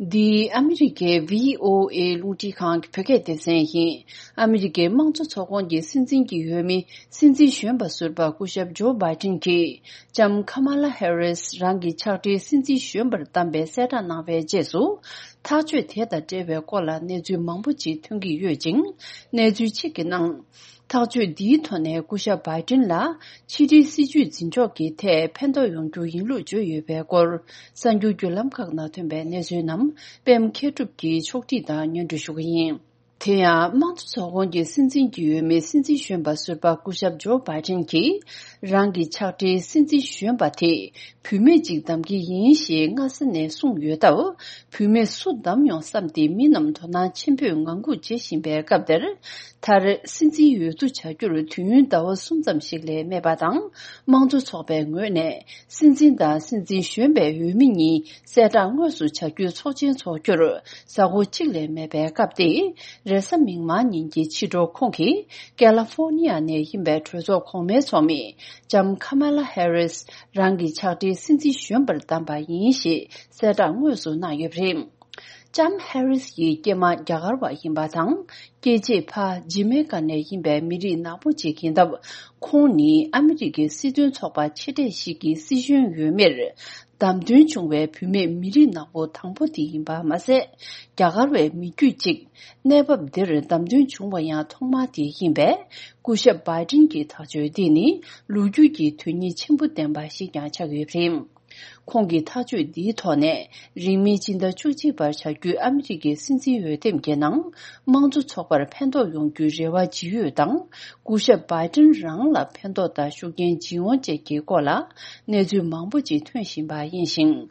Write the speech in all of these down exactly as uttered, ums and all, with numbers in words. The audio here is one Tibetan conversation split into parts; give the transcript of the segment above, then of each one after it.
འདི་ཨ་མི་རི་ཀའི་བྷི་ཨོ་ཨེ་རླུང་འཕྲིན་ཁང་གི་བོད་སྐད་སྡེ་ཚན་ཡིན། ཨ་མི་རི་ཀའི་དམངས་གཙོ་ཚོགས་ཁོངས་ཀྱི་སྲིད་འཛིན་གྱི་འོས་མི་སྲིད་འཛིན་གཞོན་པ་ཟུར་པ་སྐུ་ཞབས་ཇོ་བྷའི་ཏིན་གྱིས་ལྕམ་ཁ་མ་ལ་ཧེ་རིས་རང་གི་ཕྱག་སྦྲེལ་སྲིད་འཛིན་གཞོན་པར་བདམས་པའི་གསལ་བསྒྲགས་གནང་བའི་རྗེས་སུ། ཐག་གཅོད་དེ་དང་འབྲེལ་བའི་སྐོར་ལ་གནས་ཚུལ་མང་པོ་ཅིག་ཐོན་གྱི་ཡོད་ཅིང་། གནས་ཚུལ་གཅིག་གི་ནང་། ཐག་གཅོད་འདིའི་ཐོག་ནས་སྐུ་ཞབས་བྷའི་ཏིན་ལ་ཕྱི་འབྲེལ་སྲིད་ཇུས་འཛིན་ཕྱོགས་ཀྱི་ཐད་ཕན་ཐོགས་ཡོང་རྒྱུ་ཡིན་ལུགས་བརྗོད་ཡོད་པའི་སྐོར། གསར་འགྱུར་བརྒྱུད་ལམ་ཁག་ནང་ཐོན་པའི་གནས་ཚུལ་རྣམས་པད་མ་མཁས་གྲུབ་ཀྱིས་ཕྱོགས་སྒྲིག་དང་སྙན་སྒྲོན་ཞུ་གི་ཡིན། དེ་ཡང་དམངས་གཙོ་ཚོགས་ཁོངས་ཀྱི་སྲིད་འཛིན་གྱི་འོས་མི་སྲིད་འཛིན་གཞོན་པ་ཟུར་པ་སྐུ་ཞབས་ཇོ་བྷའི་ཏིན་གྱིས་རང་གི་ཕྱག་སྦྲེལ་སྲིད་འཛིན་གཞོན་པ་དེ་བུད་མེད་ཅིག་བདམས་ཀྱི་ཡིན་ཞེས་སྔ་ས་ནས་གསུངས་ཡོད་སྟབས། བུད་མེད་སུ་བདམས་ཡོང་བསམ་སྟེ་མི་རྣམས་དོ་སྣང་ཆེན་པོས་ངང་སྒུག་བྱེད་བཞིན་པའི་སྐབས་དེར། མཐར་སྲིད་འཛིན་འོས་བསྡུ་བྱ་རྒྱུར་དུས་ཡུན་ཟླ་བ་གསུམ་ཙམ་ཞིག་ལས་མེད་པ་དང་། དམངས་གཙོ་ཚོགས་པའི་ངོས་ནས་སྲིད་འཛིན་དང་སྲིད་འཛིན་གཞོན་པའི་འོས་མི་གཉིས་གསལ་བསྒྲགས་དངོས་སུ་བྱ་རྒྱུའི་ཚོགས་ཆེན་འཚོགས་རྒྱུར་གཟའ་འཁོར་གཅིག་ལས་མེད་པའི་སྐབས་ཏེ། རེས་གཟའ་མིག་དམར་ཉིན་གྱི་ཕྱི་དྲོ་ཁོང་གིས་ཀེ་ལ་ཧྥོར་ནི་ཡ་ནས་ཡིན་པའི་གྲོས་ཚོགས་གོང་མའི་ཚོགས་མི་ལྕམ་ཁ་མ་ལ་ཧེ་རིས་རང་གི་ཕྱག་སྦྲེལ་སྲིད་འཛིན་གཞོན་པར་བདམས་པ་ཡིན་ཞེས་གསལ་བསྒྲགས་དངོས་སུ་གནང་ཡོད་པ་རེད། ལྕམ་ཧེ་རིས་ཡི་སྐྱེས་མ་རྒྱ་གར་བ་ཡིན་པ་དང་། སྐྱེས་རྗེས་ཕ་ཇི་མེ་ཀ་ནས་ཡིན་པའི་མི་རིགས་ནག་པོ་ཅིག་ཡིན་སྟབས། ཁོང་ནི་ཨ་མི་རི་ཀའི་སྲིད་དོན་ཚོགས་པ་ཆེ་གྲས་ཤིག་གི་སྲིད་གཞུང་འོས་མིར་བདམས་ཐོན་བྱུང་བའི་བུད་མེད་མི་རིགས་ནག་པོ་དང་པོ་དེ་ཡིན་པ་མ་ཟད། རྒྱ་གར་བའི་མི་རྒྱུད་ཅིག་གནས་བབ་འདིར་བདམས་ཐོན་བྱུང་བ་ཡང་ཐོག་མ་དེ་ཡིན་པས། སྐུ་ཞབས་བྷའི་ཏིན་གྱི་ཐག་གཅོད་འདི་ནི་ལོ་རྒྱུས་ཀྱི་དོན་སྙིང་ཆེན་པོ་ལྡན་པ་ཞིག་ཀྱང་ཆགས་ཡོད་པ་རེད། ཁོང་གི་ཐག་གཅོད་འདིའི་ཐོག་ནས། རིང་མིན་སྤྱི་ཟླ་བཅུ་གཅིག་པར་བྱ་རྒྱུའི་ཨ་མི་རི་ཀའི་སྲིད་འཛིན་འོས་འདེམས་ཀྱི་ནང་། དམངས་གཙོ་ཚོགས་པར་ཕན་ཐོགས་ཡོང་རྒྱུའི་རེ་བ་ཇི་ཡོད་དང་། སྐུ་ཞབས་བྷའི་ཏིན་རང་ལ་ཕན་ཐོགས་དང་ཤུགས་རྐྱེན་ཇི་ཡོང་བཅས་ཀྱི་སྐོར་ལ། གནས་ཚུལ་མང་པོ་ཅིག་ཐོན་བཞིན་པ་ཡིན་ཞིང་།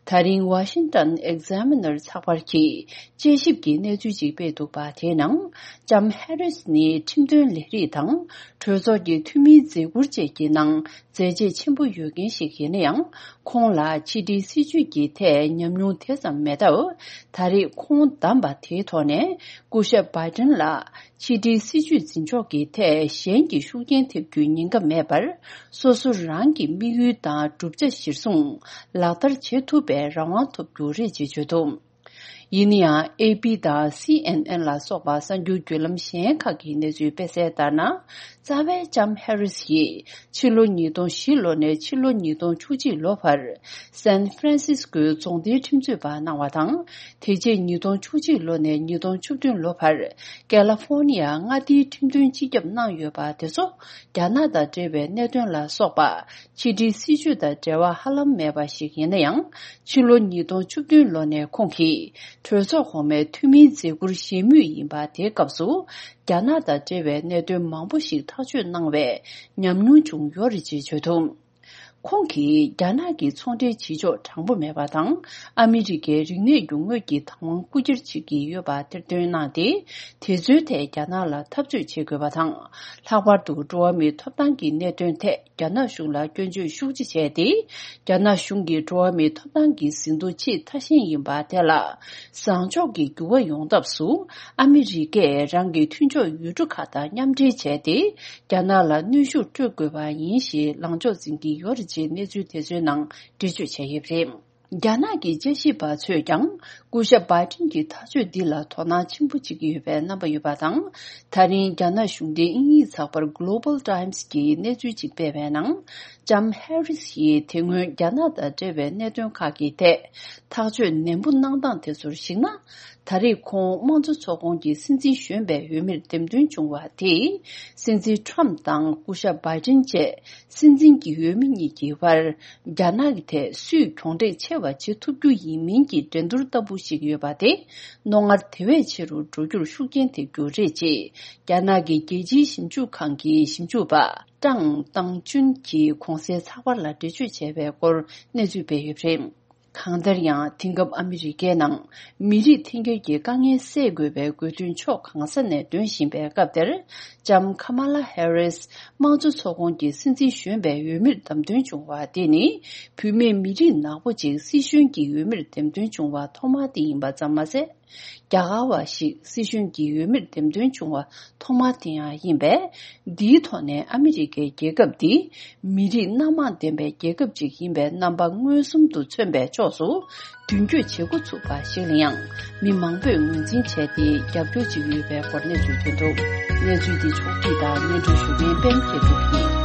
ད་རིང་Washington Examiner་ཚགས་པར་གྱིས། དཔྱད་ཞིབ་ཀྱི་གནས་ཚུལ་ཅིག་སྤེལ་འདུག་པ། དེའི་ནང་། ལྕམ་ཧེ་རིས་ནི་ཁྲིམས་དོན་ལས་རིགས་དང་། གྲོས་ཚོགས་ཀྱི་འཐུས་མིའི་མཛད་ཁུར་བཅས་ཀྱི་ནང་། མཛད་རྗེས་ཆེན་པོ་ཡོད་མཁན་ཞིག་ཡིན་ན་ཡང་། ཁོང་ལ་ཕྱི་འབྲེལ་སྲིད་ཇུས་ཀྱི་ཐད་ཉམས་མྱོང་དེ་ཙམ་མེད་སྟབས། ད་རེས་ཁོང་བདམས་པ་དེའི་ཐོག་ནས། སྐུ་ཞབས་བྷའི་ཏིན་ལ་ཕྱི་འབྲེལ་སྲིད་ཇུས་འཛིན་ཕྱོགས་ཀྱི་ཐད་གཞན་གྱི་ཤུགས་རྐྱེན་ཐེབས་རྒྱུའི་ཉེན་ཁ་མེད་པར། སོ་སོ་རང་གི་དམིགས་ཡུལ་དང་བསྒྲུབ་བྱ་གཞིར་བཟུང་ལག་བསྟར་བྱེད་ཐུབ་པའི་རང་དབང་ཐོབ་རྒྱུ་རེད་ཅེས་བརྗོད་འདུག་ཡིན་ན་ཡང་། ཨེ་པི་དང་སི་ཨེན་ཨེན་ལ་སོགས་པ་གསར་འགྱུར་བརྒྱུད་ལམ་གཞན་ཁག་གིས་གནས་ཚུལ་སྤེལ་གསལ་ལྟར་ན། རྩ་བའི་ལྕམ་ཧེ་རིས་ཡིས་ཕྱི་ལོ་ཉིས་སྟོང་བཞི་ལོ་ནས་ཕྱི་ལོ་ཉིས་སྟོང་བཅུ་གཅིག་ལོ་བར། སན་ཧྥ་རན་སིས་ཀོའི་རྫོང་སྡེའི་ཁྲིམས་རྩོད་པ་གནང་བ་དང་། དེ་རྗེས་ཉིས་སྟོང་བཅུ་གཅིག་ལོ་ནས་ཉིས་སྟོང་བཅུ་བདུན་ལོ་བར། ཀེ་ལ་ཧྥོར་ནི་ཡ་མངའ་སྡེའི་ཁྲིམས་དོན་སྤྱི་ཁྱབ་གནང་ཡོད་པ་དེ་ཚོ། རྒྱ་ནག་དང་འབྲེལ་བའི་གནད་དོན་ལ་སོགས་པ། ཕྱི་འབྲེལ་སྲིད་ཇུས་དང་འབྲེལ་བ་ཧ་ལམ་མེད་པ་ཞིག་ཡིན་ན་ཡང་། ཕྱི་ལོ་ཉིས་སྟོང་བཅུ་བདུན་ལོ་ནས་ཁོང་གིས་གྲོས་ཚོགས་གོང་མའི་འཐུས་མིའི་མཛད་ཁུར་བཞེས་མུས་ཡིན་པ། དེའི་སྐབས་སུ་རྒྱ་ནག་དང་འབྲེལ་བའི་གནད་དོན་མང་པོ་ཞིག་ཐག་གཅོད་གནང་བའི་ཉམས་མྱོང་བྱུང་ཡོད་རེད་ཅེས་བརྗོད་འདུག་ཁོང་གིས་རྒྱ་ནག་གི་ཚོང་འབྲེལ་བྱེད་ཕྱོགས་དྲང་པོ་མེད་པ་དང་། ཨ་མི་རི་ཀའི་རིག་གནས་རྒྱུ་དངོས་ཀྱི་བདག་དབང་རྐུ་འཁྱེར་བྱེད་ཀྱི་ཡོད་པ་གཏེར་འདོན་གནང་སྟེ། དེ་ཚོའི་ཐད་རྒྱ་ནག་ལ་འཐབ་རྩོད་བྱེད་དགོས་པ་དང་། ལྷག་པར་དུ་འགྲོ་བ་མིའི་ཐོབ་ཐང་གི་གནད་དོན་ཐད། རྒྱ་ནག་གཞུང་ལ་སྐྱོན་བརྗོད་ཤུགས་ཆེ་བྱས་ཏེ། རྒྱ་ནག་གཞུང་གིས་འགྲོ་བ་མིའི་ཐོབ་ཐང་གི་ཟིན་ཐོ་ཆེས་ཐ་ཞན་ཡིན་པ་དེ་ལ་བཟང་ཕྱོགས་ཀྱི་འགྱུར་བ་ཡོང་ཐབས་སུ། ཨ་མི་རི་ཀས་རང་གི་མཐུན་ཕྱོགས་ཡུལ་གྲུ་ཁག་དང་མཉམ་འབྲེལ་བྱས་ཏེ། རྒྱ་ནག་ལ་གནོན་ཤུགས་སྤྲོད་དགོས་པ་ཡིན་ཞེས་ལངས་ཕྱོགས་འཛིན་གྱི་ཡོད་རེད་ཅེས་གནས་ཚུལ་དེ་ཚོའི་ནང་འགྲེལ་བརྗོད་བྱས་ཡོད་པ་རེད། རྒྱ་ནག་གི་དཔྱད་ཞིབ་པ་ཚོས་ཀྱང་། སྐུ་ཞབས་བྷའི་ཏིན་གྱི་ཐག་གཅོད་འདི་ལ་དོ་སྣང་ཆེན་པོ་བྱེད་ཀྱི་ཡོད་པའི་རྣམ་པ་ཡོད་པ་དང་། ད་རིང་རྒྱ་ནག་གཞུང་འབྲེལ་དབྱིན་ཡིག་ཚགས་པར་Global Times་གྱིས་གནས་ཚུལ་ཅིག་སྤེལ་བའི་ནང་། ལྕམ་ཧེ་རིས་ཡིས་དེ་སྔོན་རྒྱ་ནག་དང་འབྲེལ་བའི་གནད་དོན་ཁག་གི་ཐད་ཐག་གཅོད་ནན་པོ་གནང་སྟངས་དེ་ཚོར་གཞིགས་ན། ད་རེས་ཁོང་དམངས་གཙོ་ཚོགས་ཁོངས་ཀྱི་སྲིད་འཛིན་གཞོན་པའི་འོས་མིར་འདེམས་ཐོན་བྱུང་བ་དེས། སྲིད་འཛིན་ཁྲམ་དང་སྐུ་ཞབས་བྷའི་ཏིན་བཅས། སྲིད་འཛིན་གྱི་འོས་མི་གཉིས་ཀྱི་བར། རྒྱ་ནག་གི་ཐད་སུས་གྱོང་འབྲེལ་ཆེ་བ་བྱེད་ཐུབ་རྒྱུ་ཡིན་མིན་གྱི་འགྲན་བསྡུར་ལྟ་བུ་ཞིག་ཡོད་པ་དེ། རྣོ་ངར་དེ་བས་ཆེ་རུ་འགྲོ་རྒྱུར་ཤུགས་རྐྱེན་ཐེབས་རྒྱུ་རེད་ཅེས། རྒྱ་ནག་གི་རྒྱལ་སྤྱིའི་ཞིབ་འཇུག་ཁང་གི་ཞིབ་འཇུག་པ་ཀྲང་ཏང་ཅུན་གྱིས་གོང་གསལ་ཚགས་པར་ལ་འགྲེལ་བརྗོད་བྱས་པའི་སྐོར་གནས་ཚུལ་སྤེལ་ཡོད་པ་རེད། གང་ལྟར་ཡང་། དེང་སྐབས་ཨ་མི་རི་ཀའི་ནང་མི་རིགས་འཐེན་འཁྱེར་གྱི་དཀའ་ངལ་སེལ་དགོས་པའི་དགོས་འདུན་ཕྱོགས་གང་ས་ནས་འདོན་བཞིན་པའི་སྐབས་དེར། ལྕམ་ཁ་མ་ལ་ཧེ་རིས་དམངས་གཙོ་ཚོགས་ཁོངས་ཀྱི་སྲིད་འཛིན་གཞོན་པའི་འོས་མིར་བདམས་ཐོན་བྱུང་བ་དེ་ནི། བུད་མེད་མི་རིགས་ནག་པོ་ཅིག་སྲིད་གཞུང་གི་འོས་མིར་འདེམས་ཐོན་བྱུང་བ་ཐོག་མ་དེ་ཡིན་པ་ཙམ་མ་ཟད། རྒྱ་གར་བ་ཞིག་སྲིད་གཞུང་གི་འོས་མིར་འདེམས་ཐོན་བྱུང་བ་ཐོག་མ་དེ་ཡང་ཡིན་པས། འདིའི་ཐོག་ནས་ཨ་མི་རི་ཀའི་རྒྱལ་ཁབ་འདི་མི་རིགས་སྣ་མང་ལྡན་པའི་རྒྱལ་ཁབ་ཅིག་ཡིན་པའི་རྣམ་པ་མངོན་སུམ་དུ་མཚོན་པའི་ཕྱོགས་སུ་མདུན་སྐྱོད་བྱེད་འགོ་ཚུགས་པ་ཞིག་ལ་ཡང་མི་མང་པོས་ངོས་འཛིན་བྱས་ཏེ་རྒྱབ་སྐྱོར་བྱེད་ཀྱི་ཡོད་པའི་སྐོར་གནས་ཚུལ་ཐོན་འདུག་གནས་ཚུལ་འདི་ཕྱོགས་བསྒྲིགས་དང་སྙན་སྒྲོན་ཞུ་མཁན་པད་མ་སྐྱིད་སྒྲོན་ཡིན།